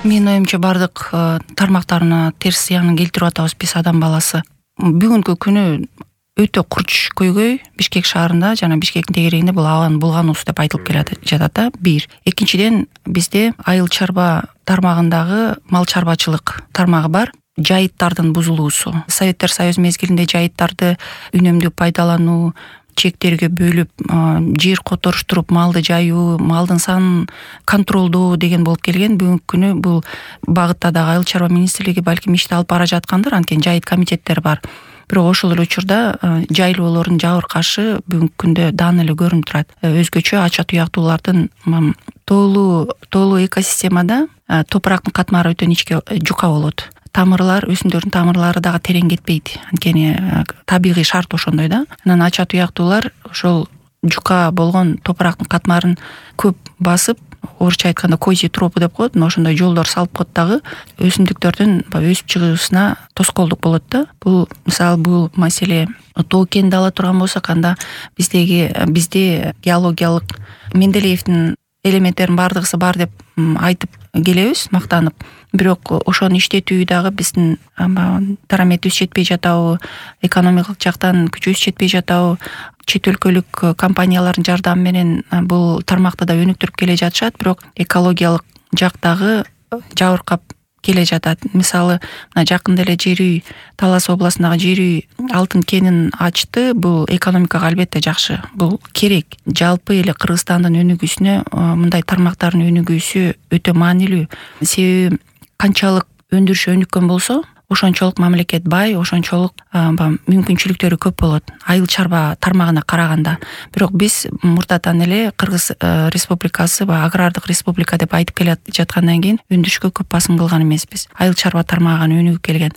Менин оюмча бардык тармактарына терс зыянын келтирип атабыз биз адам баласы. Бүгүнкү күнү өтө курч көйгөй Бишкек шаарында жана Бишкектин тегерегинде бул абанын булгануусу деп айтылып жатат да. Бир. Экинчиден бизде айыл чарба тармагындагы мал чарбачылык тармагы бар. Жайыттардын бузулуусу. Советтер Союзу мезгилинде жайыттарды үнөмдүү пайдалануу, чектерге бөлүп, жер которуштуруп, малды жайуу, малдын санын контролдоо деген болуп келген. Бүгүнкү күнү бул багытта дагы айыл чарба министрлиги балким ишти алып бара жаткандыр, анткени жайыт комитеттери бар. Бирок ошол эле учурда жайлоолордун жабыркашы бүгүнкү күндө даана эле көрүнүп турат. Өзгөчө ача туяктуулардын тоолуу экосистемада топурактын катмары өтө ничке жука болот. Тамырлар, өсүмдөрдүн тамырлары дагы терең кетпейт. Анткени табигый шарт ошондой да. Анан ача туяктуулар ошол жука болгон топурактын катмарын көп басып, орусча айтканда козий тропу деп коет. Ошондой жолдор салып коет дагы өсүмдүктөрдүн өсүп чыгуусуна тоскоолдук болот да. Бул мисалы бул маселе тоо кенди ала турган болсок, анда бизде геологиялык Менделеевдин элементтеринин бардыгысы бар деп айтып келебиз, мактанып. Бирок ошону иштетүү дагы биздин дараметибиз жетпей жатабы, экономикалык жактан күчүбүз жетпей жатабы, чет өлкөлүк компаниялардын жардамы менен бул тармакты да өнүктүрүп келе жатышат, бирок экологиялык жактагы жабыркап келе жатат. Мисалы, мына жакында эле Жер үй, Талас областындагы Жер үй алтын кенин ачты. Бул экономикага албетте жакшы. Бул керек. Жалпы эле Кыргызстандын өнүгүүсүнө мындай тармактардын өнүгүүсү өтө маанилүү. Себеби канчалык өндүрүш өнүккөн болсо, ошончолук мамлекет бай, ошончолук мүмкүнчүлүктөрү көп болот айыл чарба тармагына караганда. Бирок биз мурдатан эле Кыргыз республикасы агрардык республика деп айтып келе жаткандан кийин өндүрүшкө көп басым кылган эмеспиз. Айыл чарба тармагына өнүгүп келген.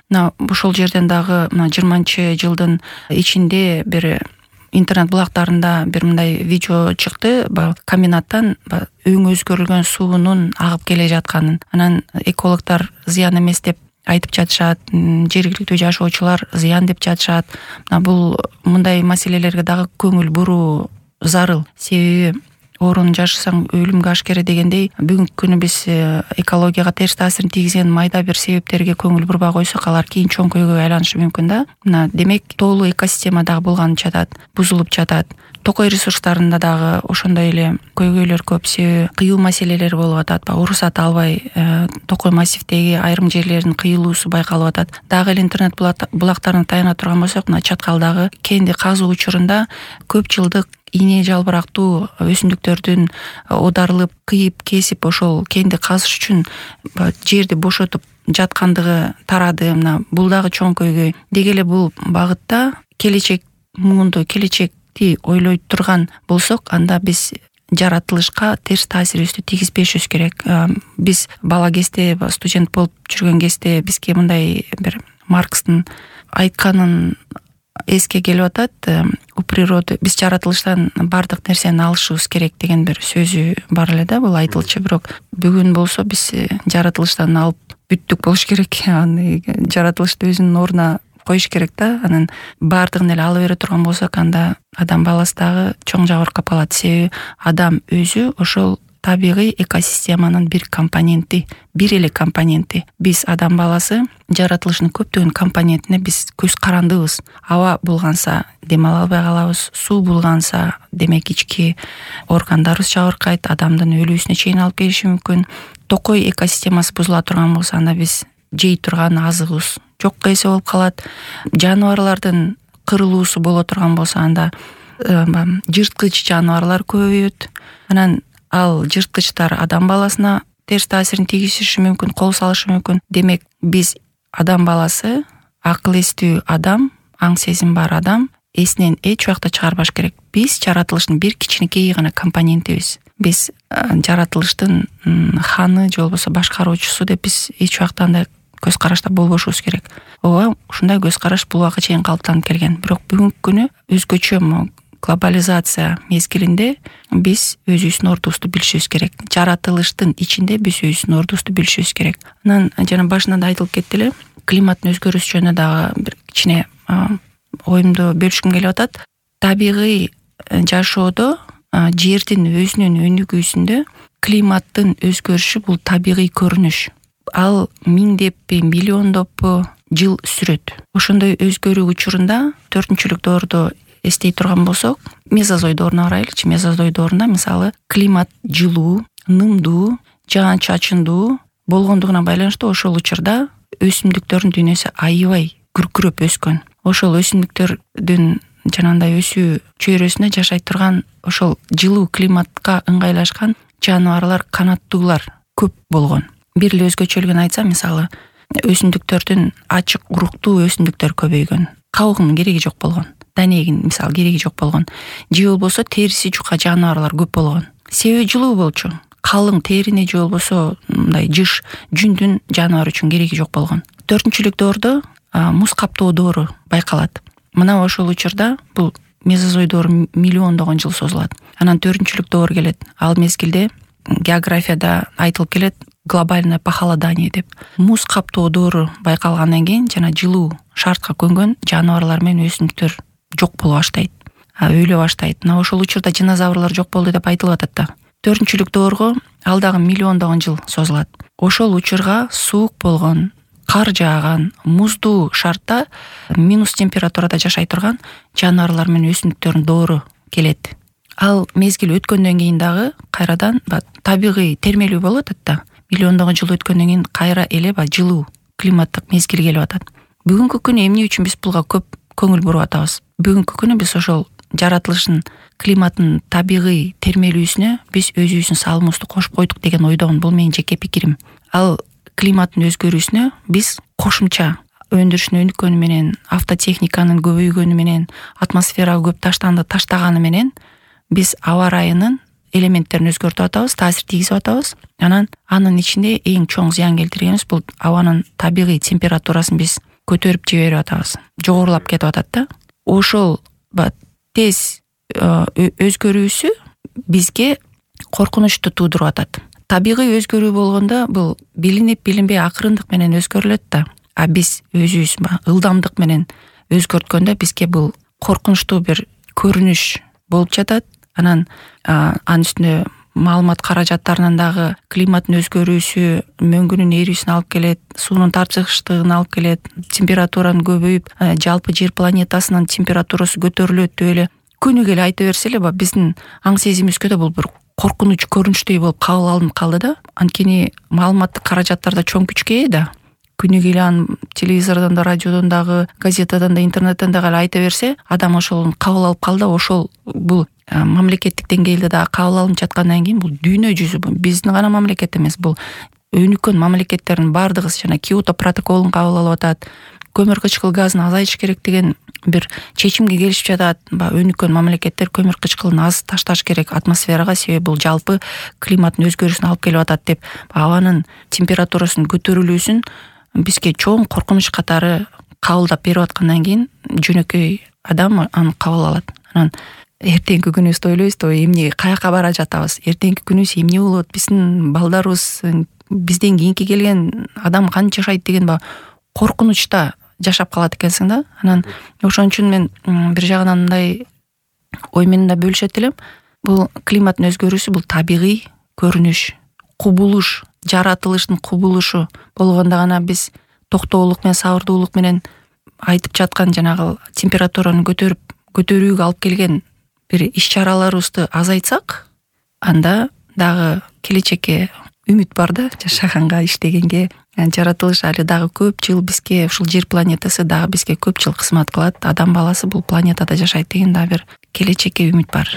Ошол жерден дагы 20-жылдын ичинде бир интернет булактарында бир мындай видео чыкты. Комбинаттан өң өзгөрүлгөн суунун агып келе жатканын. Анан экологдор зыян эмес деп айтып жатышат, жергиликтүү жашоочулар зыян деп жатышат. Бул мындай маселелерге дагы көңүл буруу зарыл. Себеби орун жашасаң өлүмгө ашкере дегендей, бүгүнкү күнү биз экологияга терс таасирин тийгизген майда бир себептерге көңүл бурбай койсок, алар кийин чоң көйгөйгө айланышы мүмкүн да. Демек, тоолуу экосистема дагы булганып жатат, бузулуп жатат. Токой ресурстарында дагы ошондой эле көйгөйлөр көп. Себеби кыюу маселелер болуп атат. Уруксат албай Токой массивдеги айрым жерлердин кыйылуусу байкалып атат. Дагы эле интернет булактарына таяна турган болсок, мына Чаткалдагы кенди казуу учурунда көп жылдык ийне жалбырактуу өсүмдүктөрдүн оодарылып, кыйып, кесип ошол кенди казыш үчүн жерди бошотуп жаткандыгы тарады. Бул дагы чоң көйгөй. Деги эле бул багытта келечек муунду, келечекти ойлой турган болсок, анда биз жаратылышка терс таасирибизди тийгизбешибиз керек. Биз бала кезде, студент болуп жүргөн кезде бизге мындай бир Маркстын айтканын эске келип атат. У природы биз жаратылыштан бардык нерсени алышыбыз керек деген бир сөзү бар эле да, бул айтылчу. Бирок бүгүн болсо биз жаратылыштан алып бүттүк болуш керек. Жаратылышты өзүнүн ордуна коюш керек да. Анан бардыгын эле ала бере турган болсок, анда адам баласы дагы чоң жабыркап калат. Себеби адам өзү ошол табигый экосистеманын бир компоненти, бир эле компоненти. Биз адам баласы жаратылыштын көптөгөн компонентине биз көз карандыбыз. Аба булганса дем ала албай калабыз, суу булганса демек ички органдарыбыз жабыркайт, адамдын өлүүсүнө чейин алып келиши мүмкүн. Токой экосистемасы бузула турган болсо, анда биз жей турган азыгыбыз жокко эсе болуп калат. Жаныбарлардын кырылуусу боло турган болсо, анда жырткыч жаныбарлар көбөйөт. Анан ал жырткычтар адам баласына терс таасирин тийгизиши мүмкүн, кол салышы мүмкүн. Демек, биз адам баласы, акыл эстүү адам, аң сезим бар адам эсинен эч убакта чыгарбаш керек. Биз жаратылыштын бир кичинекей гана компонентибиз. Биз жаратылыштын ханы же болбосо башкаруучусу деп биз эч убакта андай көз карашта болбошубуз керек. Ооба, ушундай көз караш бул убакка чейин калыптанып келген. Бирок бүгүнкү күнү өзгөчө глобализация мезгилинде биз өзүбүздүн ордубузду билишибиз керек. Жаратылыштын ичинде биз өзүбүздүн ордубузду билишибиз керек. Анан жана башында да айтылып кетти эле, климаттын өзгөрүшү жөнүндө дагы бир кичине оюмду бөлүшкүм келип атат. Табигый жашоодо жердин өзүнүн өнүгүүсүндө климаттын өзгөрүшү бул табигый көрүнүш. ал миңдеппи миллиондоппу жыл сүрөт. Ошондой өзгөрүү учурунда 4-чүлүк доордо эстей турган болсок, мезозой дооруна карайлычы. Мезозой доорунда мисалы климат жылуу, нымдуу, жаан-чачындуу болгондугуна байланыштуу ошол учурда өсүмдүктөрдүн дүйнөсү аябай күркүрөп өскөн. Ошол өсүмдүктөрдүн жанагындай өсүү чөйрөсүндө жашай турган ошол жылуу климатка ыңгайлашкан жаныбарлар, канаттуулар көп болгон. Бир эле өзгөчөлүгүн айтсам, мисалы өсүмдүктөрдүн ачык уруктуу өсүмдүктөр көбөйгөн. Кабыгынын кереги жок болгон. Данегин мисалы кереги жок болгон. Же болбосо териси жука жаныбарлар көп болгон. Себеби жылуу болчу. Калың терине же болбосо мындай жыш, жүндүн жаныбар үчүн кереги жок болгон. 4-чүлүк доордо муз каптоо доору байкалат. Мына ошол учурда бул мезозой доору миллиондогон жыл созулат. Анан 4-чүлүк доор келет. Ал мезгилде географияда айтылып келет глобальное похолодание деп. Муз каптоо доору байкалгандан кийин жана жылуу шартка көнгөн жаныбарлар менен өсүмдүктөр жок боло баштайт, өлө баштайт. Мына ошол учурда динозаврлар жок болду деп айтылып атат да. 4-чүлүк доорго ал дагы миллиондогон жыл созулат. Ошол учурга суук болгон, кар жааган, муздуу шартта минус температурада жашай турган жаныбарлар менен өсүмдүктөрдүн доору келет. Ал мезгил өткөндөн кийин дагы кайрадан табигый термелүү болуп атат да. Миллиондогон жыл өткөндөн кийин кайра эле жылуу климаттык мезгил келип атат. Бүгүнкү күнү эмне үчүн биз буга көп көңүл буруп атабыз? Бүгүнкү күнү биз ошол жаратылыштын климаттын табигый термелүүсүнө биз өзүбүздүн салымыбызды кошуп койдук деген ойдомун. Бул менин жеке пикирим. Ал климаттын өзгөрүүсүнө биз кошумча өндүрүштүн өнүккөнү менен, автотехниканын көбөйгөнү менен, атмосферага көп таштаганы менен биз аба ырайынын элементтерин өзгөртүп атабыз, таасир тийгизип атабыз. Анын ичинде эң чоң зыян келтиргенибиз бул абанын табигый температурасын биз көтөрүп жиберип атабыз. Жогорулап кетип атат да. Ошол тез өзгөрүүсү бизге коркунучту туудуруп атат. Табигый өзгөрүү болгондо бул билинип билинбей акырындык менен өзгөрүлөт да. А биз өзүбүз ылдамдык менен өзгөрткөндө бизге бул коркунучтуу бир көрүнүш болуп жатат. Анан анын үстүнө маалымат каражаттарынан дагы климаттын өзгөрүүсү мөңгүнүн эрүүсүнө алып келет, суунун тарчыгыштыгына алып келет, температуранын көбөйүп, жалпы жер планетасынын температурасы көтөрүлөт деп эле күнү келе айта берсе эле биздин аң сезимибизге да бул бир коркунуч көрүнүчтөй болуп кабыл алынып калды да. Анткени маалыматтык каражаттарда чоң күчкө ээ да. Күнү келе аны телевизордон да, радиодон дагы, газетадан да, интернеттен дагы айта берсе, адам ошол кабыл алып калды. Ошол бул мамлекеттик деңгээлде да кабыл алынып жаткандан кийин бул дүйнө жүзү, биздин гана мамлекет эмес, бул өнүккөн мамлекеттердин бардыгы жана Киото протоколун кабыл алып атат. Көмүр кычкыл газын азайтыш керек деген бир чечимге келишип жатат. Өнүккөн мамлекеттер көмүр кычкылын аз ташташ керек атмосферага, себеби бул жалпы климаттын өзгөрүүсүнө алып келип атат деп абанын температурасынын көтөрүлүүсүн бизге чоң коркунуч катары кабылдап берип аткандан кийин жөнөкөй адам аны кабыл алат. Анан эртеңки күнүбүздү ойлойбуз да, эмне каяка бара жатабыз, эртеңки күнүбүз эмне болот, биздин балдарыбыз, бизден кийинки келген адам кантип жашайт деген коркунучта жашап калат экенсиң да. Анан ошон үчүн мен бир жагынан мындай ой менен да бөлүшөт элем. Бул климаттын өзгөрүүсү бул табигый көрүнүш, кубулуш, жаратылыштын кубулушу болгондо гана биз токтоолук менен, сабырдуулук менен айтып жаткан жанагы температураны көтөрүүгө алып келген бир иш-чараларыбызды азайтсак, анда дагы келечекке үмүт бар да, жашаганга, иштегенге. Жаратылыш али дагы көп жыл бизге, ушул жер планетасы дагы бизге көп жыл кызмат кылат. Адам баласы бул планетада жашайт деген дагы бир келечекке үмүт бар.